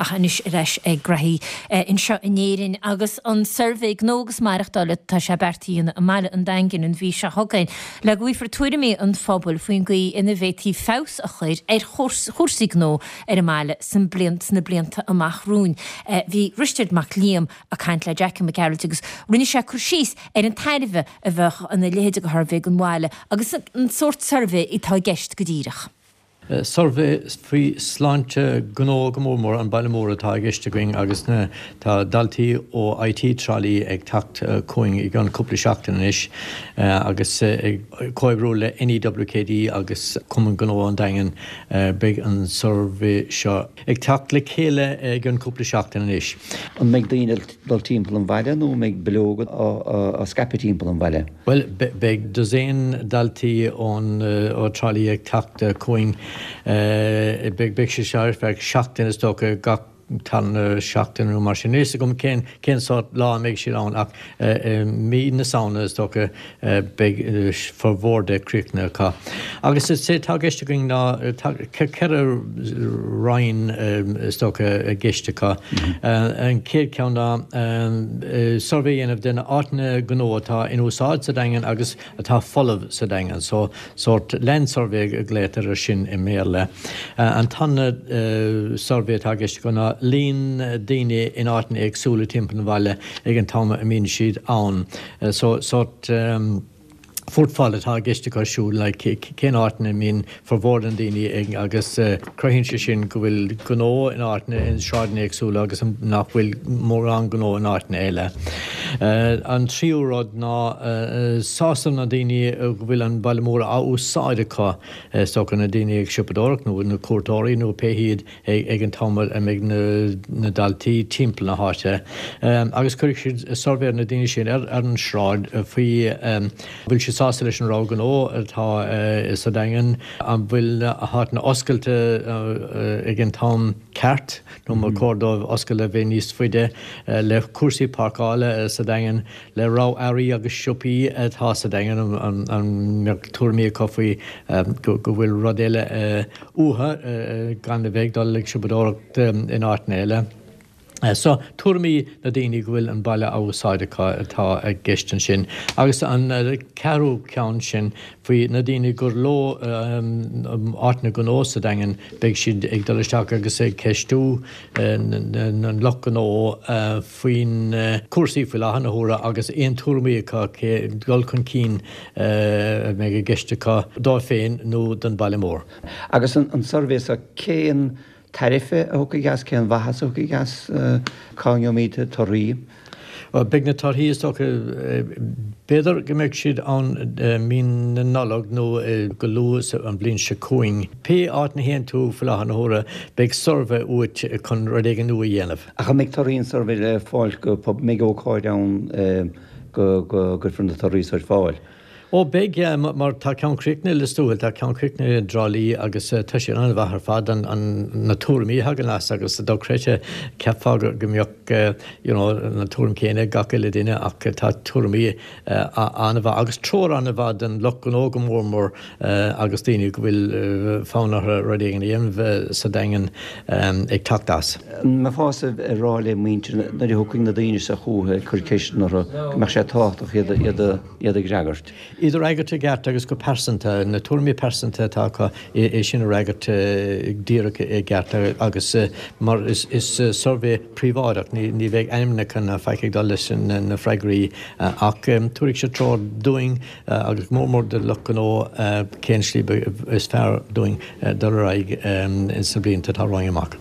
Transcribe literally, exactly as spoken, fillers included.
Ach anois ar ais ag graithí anseo in Éirinn agus an suirbhé gnó agus maireachtála tá sé beartaithe i mBaile an Daingin an mhí seo chugainn le go bhfaighfear tuairimí an phobail faoin gcaoi ina bhféadfaí feabhas a chur ar chúrsaí gnó ar an mbaile san bliain sna blianta amach romhainn. Bhí Risteard Mac Liam ag caint le Jackie Mac Gearailt agus rinne sé cur síos ar an tairbhe a bheadh ina leithéid de shuirbhé don bhaile agus an sórt suirbhé atá i gceist go díreach. Suirbhé faoi sláinte gnó go mór mór an baile mór atá i gceist againn agus na tá daltaí ó IT Trá Lí ag teacht chugainn i gceann cúpla seachtain anois agus ag comhoibriú le NEWKD agus Cumann Gnó an Daingin beidh an suirbhé seo ag teacht le chéile i gceann cúpla seachtain anois. An mbeidh daoine dul timpeall an bhaile nó mbeidh bileoga á scaipeadh timpeall an bhaile? Well beidh dosaen daltaí ón ó Trá Lí ag teacht chugainn beidh sé seo ar feadh seachtain is dócha gach tarna seachtain nó mar sin. Níl a fhios agam cén cén sórt lá a mbeidh siad ann ach mí na Samhna is dócha beidh formhór de críochnaithe acu. Agus is é atá i gceist againn ná ceithre roinn is dócha i gceist acu. An chéad cheann ná suirbhé a dhéanamh de na áiteanna gnó atá in úsáid sa Daingean agus atá folamh sa Daingean. So sórt land survey a ghlaotar air sin i mBéarla. An tarna suirbhé atá i gceist acu ná líon daoine in áiteanna éagsúla timpeall an bhaile ag an t-am a mbíonn siad ann. So sórt footfall atá i gceist acu siúd like cén áiteanna a mbíonn formhór na ndaoine ag agus cruthaíonn sé sin go bhfuil gnó in áiteanna in sráideanna éagsúla agus nach bhfuil mórán gnó in áiteanna eile. An tríú rud ná sásamh na daoine go bhfuil an baile mór á úsáid acu is dócha na daoine ag siopadóireacht nó na cuairteoirí nó pé hiad ag an t-am a mbeidh na daltaí timpeall na háite. Agus cuirfidh siad suirbhé ar na daoine sin ar an sráid faoi bhfuil siad sásta leis an rogha gnó atá sa Daingean, an bhfuil na háiteanna oscailte ag an t-am ceart nó má chóir dóibh oscailt a bheith níos faide le cúrsaí páirceála sa Daingean, le rogha earraí agus siopaí atá sa Daingean an mbeadh tuairimí acu faoi go bhfuil rud eile uathu gan a bheith ag dul ag siopadóireacht in áiteanna eile. So tuairimí na daoine go bhfuil an baile á úsáid acu atá i gceist ansin. Agus an ceathrú ceann sin faoi na daoine gur leo áiteanna gnó sa Daingean beidh siad ag dul isteach agus ag ceistiú an lucht gnó faoin cúrsaí faoi láthair na huaire agus aon tuairimí acu cé dul chun cinn a mbeidh i gceist acu dóibh féin nó don baile mór. Agus an suirbhé seo cén tairbhe a thiocfaidh as cén mhaitheas a thiocfaidh as cá ngeobhaimid torthaí? Beidh na torthaí is dócha b'fhéidir go mbeidh siad ann mí na Nollag nó go luath an bhliain seo chugainn. Pé áit ina théann tú faoi láthair na huaire beidh suirbhé uait chun rud éigin nua a dhéanamh. Ach an mbeidh torthaí an suirbhé le fáil go mbeidh ócáid ann go gcuirfear na torthaí ar fáil? Ó beidh, mar tá ceann críochnaithe i Lios Tuathail, tá ceann críochnaithe i dTrá Lí agus tá sé an-mhaith ar fad an na tuairimí a thagann as agus dochreidte cheapfá go mbeadh you know na tuairim céanna ag gach uile duine ach tá tuairimí an-mhaith agus treoir an-mhaith don lucht gnó go mór mór agus daoine go bhfuil fonn orthu rud éigin a dhéanamh sa Daingean ag teacht as. An mbeifeása ag rá le muintir nuair a thiocfaidh na daoine seo chugathu ag cur ceisteanna orthu go mbeadh sé tábhachtach iad iad iad a fhreagairt? Iad a fhreagairt i gceart agus go pearsanta, na tuairimí pearsanta atá acu, é sin a fhreagairt díreach i gceart agus mar is suirbhé príobháideach, ní bheidh ainmneacha ná faic ag dul leis na freagraí ach tabharfaidh sé treoir dúinn agus mór mór do lucht gnó cén slí is fearr dúinn dul ar aghaidh ins na blianta atá romhainn amach.